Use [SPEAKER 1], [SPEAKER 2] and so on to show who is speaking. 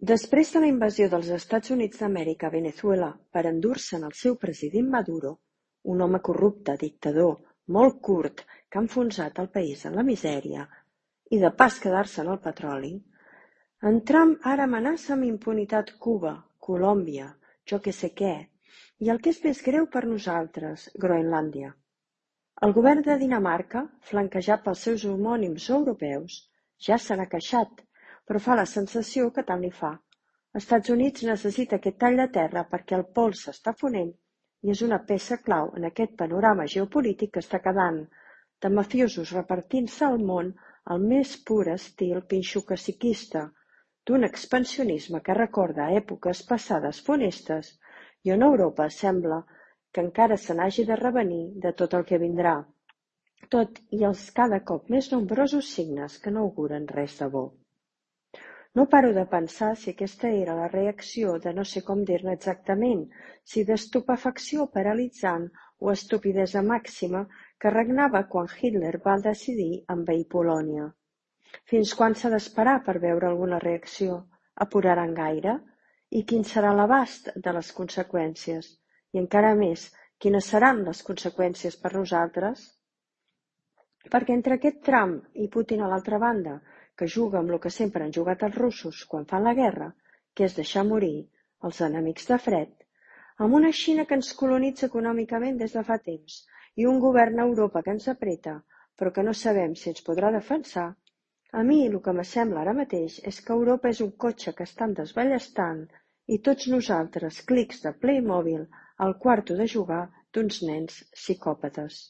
[SPEAKER 1] Després de la invasió dels Estats Units d'Amèrica a Venezuela per endur-se'n el seu president Maduro, un home corrupte, dictador, molt curt, que ha enfonsat el país en la misèria i de pas quedar-se en el petroli, en Trump ara amenaça amb impunitat Cuba, Colòmbia, jo que sé què, i el que és més greu per nosaltres, Groenlàndia. El govern de Dinamarca, flanquejat pels seus homònims europeus, ja se n'ha queixat, però fa la sensació que tant li fa. Estats Units necessita aquest tall de terra perquè el pols s'està fonent i és una peça clau en aquest panorama geopolític que està quedant, de mafiosos repartint-se al món al més pur estil pinxo-caciquista, d'un expansionisme que recorda èpoques passades funestes i on Europa sembla que encara se n'hagi de revenir de tot el que vindrà, tot i els cada cop més nombrosos signes que no auguren res de bo. No paro de pensar si aquesta era la reacció de no sé com dir-ne exactament, si d'estupefacció paralitzant o estupidesa màxima que regnava quan Hitler va decidir envair Polònia. Fins quan s'ha d'esperar per veure alguna reacció? Apuraran gaire? I quin serà l'abast de les conseqüències? I encara més, quines seran les conseqüències per nosaltres? Perquè entre aquest Trump i Putin a l'altra banda, que juga amb el que sempre han jugat els russos quan fan la guerra, que és deixar morir els enemics de fred, amb una Xina que ens colonitza econòmicament des de fa temps i un govern a Europa que ens apreta, però que no sabem si ens podrà defensar, a mi el que m'assembla ara mateix és que Europa és un cotxe que estan desballestant i tots nosaltres clics de Playmobil al quarto de jugar d'uns nens psicòpates.